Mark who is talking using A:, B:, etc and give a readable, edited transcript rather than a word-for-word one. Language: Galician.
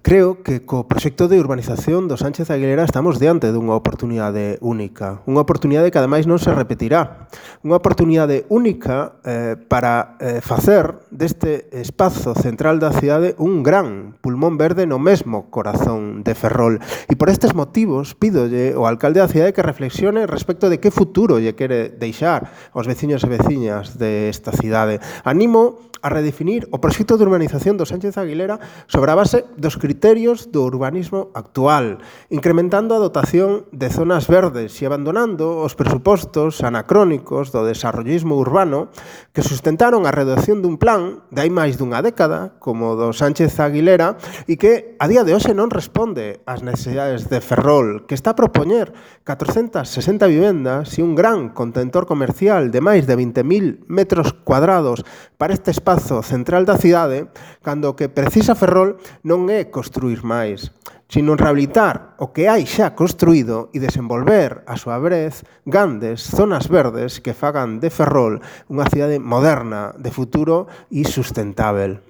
A: Creo que co proxecto de urbanización do Sánchez Aguilera estamos diante dunha oportunidade única. Unha oportunidade que ademais non se repetirá. Unha oportunidade única para facer deste espazo central da cidade un gran pulmón verde no mesmo corazón de Ferrol. E por estes motivos pídolle ao alcalde da cidade que reflexione respecto de que futuro lle quere deixar aos veciños e veciñas desta cidade. Animo a redefinir o proxecto de urbanización do Sánchez Aguilera sobre a base dos criterios do urbanismo actual, incrementando a dotación de zonas verdes e abandonando os presupostos anacrónicos do desarrollismo urbano que sustentaron a redacción dun plan de hai máis dunha década, como do Sánchez Aguilera, e que a día de hoxe non responde ás necesidades de Ferrol, que está a propoñer 460 vivendas e un gran contentor comercial de máis de 20.000 metros cuadrados para este espazo central da cidade, cando o que precisa Ferrol non é construir máis, sino rehabilitar o que hai xa construído e desenvolver, a súa vez, grandes zonas verdes que fagan de Ferrol unha cidade moderna, de futuro e sustentável.